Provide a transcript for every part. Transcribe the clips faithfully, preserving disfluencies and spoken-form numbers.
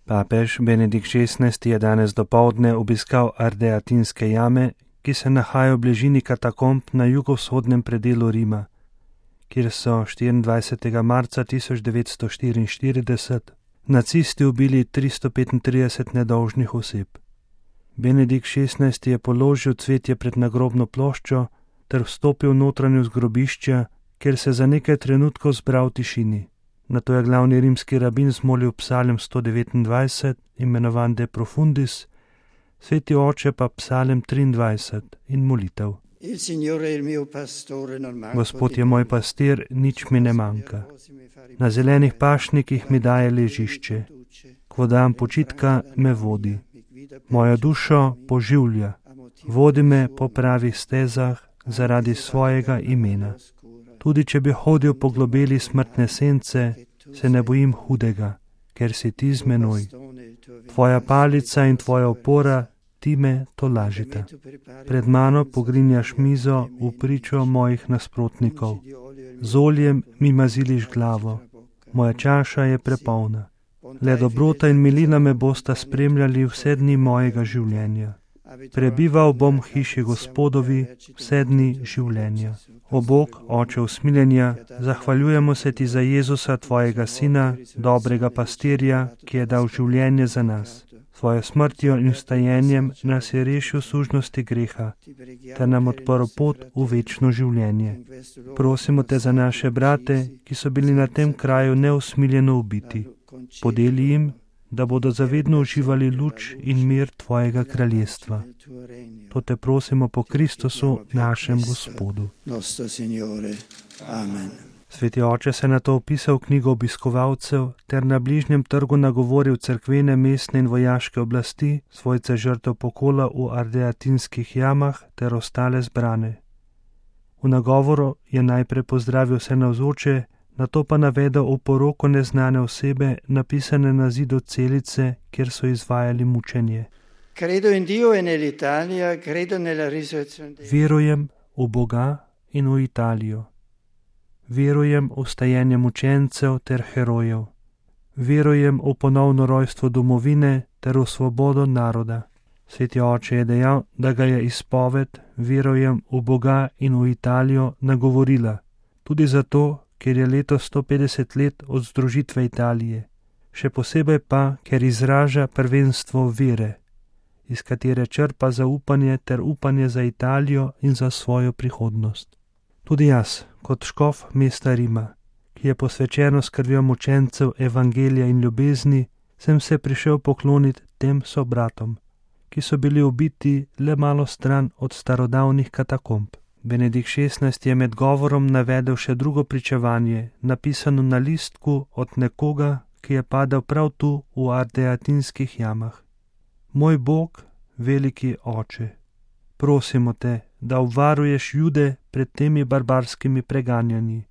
Papež Benedikt šestnajsti je danes dopoldne obiskal Ardeatinske jame, ki se nahajajo v bližini katakomb na jugovzhodnem predelu Rima, kjer so štiriindvajsetega marca tisoč devetsto štiriinštirideset nacisti ubili tristo petintrideset nedolžnih oseb. Benedikt šestnajsti je položil cvetje pred nagrobno ploščo ter vstopil v notranjost grobišča, kjer se za nekaj trenutkov zbral v tišini. Nato je glavni rimski rabin zmolil psalem sto devetindvajset, imenovan De Profundis, sveti oče pa psalem triindvajset in molitev. Gospod je moj pastir, nič mi ne manjka. Na zelenih pašnikih mi daje ležišče, k vodam počitka me vodi. Mojo dušo poživlja, vodi me po pravih stezah zaradi svojega imena. Tudi če bi hodil po globeli smrtne sence, se ne bojim hudega, ker si ti z menoj. Tvoja palica in tvoja opora, ti me tolažita. Pred mano pogrinjaš mizo v pričo mojih nasprotnikov. Z oljem mi maziliš glavo, moja čaša je prepolna. Le dobrota in milina me bosta spremljali vse dni mojega življenja. Prebival bom v hiši Gospodovi vse dni življenja. O Bog, Oče usmiljenja, zahvaljujemo se ti za Jezusa, tvojega sina, dobrega pastirja, ki je dal življenje za nas. Svojo smrtjo in vstajenjem nas je rešil sužnosti greha, ter nam odprl pot v večno življenje. Prosimo te za naše brate, ki so bili na tem kraju neusmiljeno ubiti. Podeli jim, da bodo zavedno uživali luč in mir tvojega kraljestva. To te prosimo po Kristusu, našem Gospodu. Amen. Sveti oče se na to opisal knjigo obiskovalcev ter na bližnjem trgu nagovoril cerkvene, mestne in vojaške oblasti, svojce žrtev pokola v Ardeatinskih jamah ter ostale zbrane. V nagovoru je najprej pozdravil vse navzoče, nato pa navedel oporoko neznane osebe, napisane na zidu celice, kjer so izvajali mučenje. Verujem v Boga in v Italijo. Verujem v vstajenje mučencev ter herojev. Verujem v ponovno rojstvo domovine ter v svobodo naroda. Sveti oče je dejal, da ga je izpoved verujem v Boga in v Italijo nagovorila, tudi zato, ker je letos sto petdeset let od združitve Italije, še posebej pa, ker izraža prvenstvo vere, iz katere črpa zaupanje ter upanje za Italijo in za svojo prihodnost. Tudi jaz, kot škof mesta Rima, ki je posvečeno skrbjo mučencev evangelija in ljubezni, sem se prišel pokloniti tem sobratom, ki so bili ubiti le malo stran od starodavnih katakomb. Benedikt šestnajsti je med govorom navedel še drugo pričevanje, napisano na listku od nekoga, ki je padel prav tu v Ardeatinskih jamah. Moj Bog, veliki oče, prosimo te, da obvaruješ Jude pred temi barbarskimi preganjanji.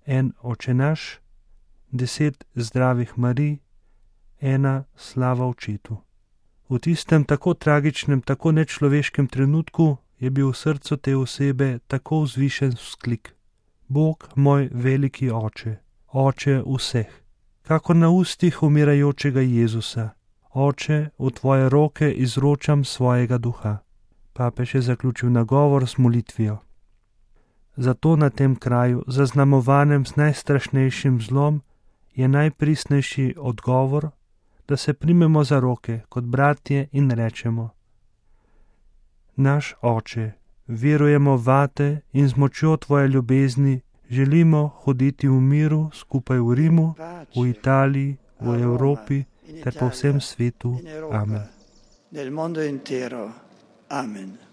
En Oče naš, deset zdravih Marij, ena slava Očetu. V tistem tako tragičnem, tako nečloveškem trenutku je bil v srcu te osebe tako vzvišen vzklik. Bog moj veliki oče, oče vseh, kako na ustih umirajočega Jezusa, oče, v tvoje roke izročam svojega duha. Papež je zaključil nagovor z molitvijo. Zato na tem kraju, zaznamovanem s najstrašnejšim zlom, je najpristnejši odgovor, da se primemo za roke kot bratje in rečemo: Naš oče, verujemo vate in z močjo tvoje ljubezni želimo hoditi v miru skupaj v Rimu, v Italiji, v Evropi ter po vsem svetu. Amen. Nel mondo intero. Amen.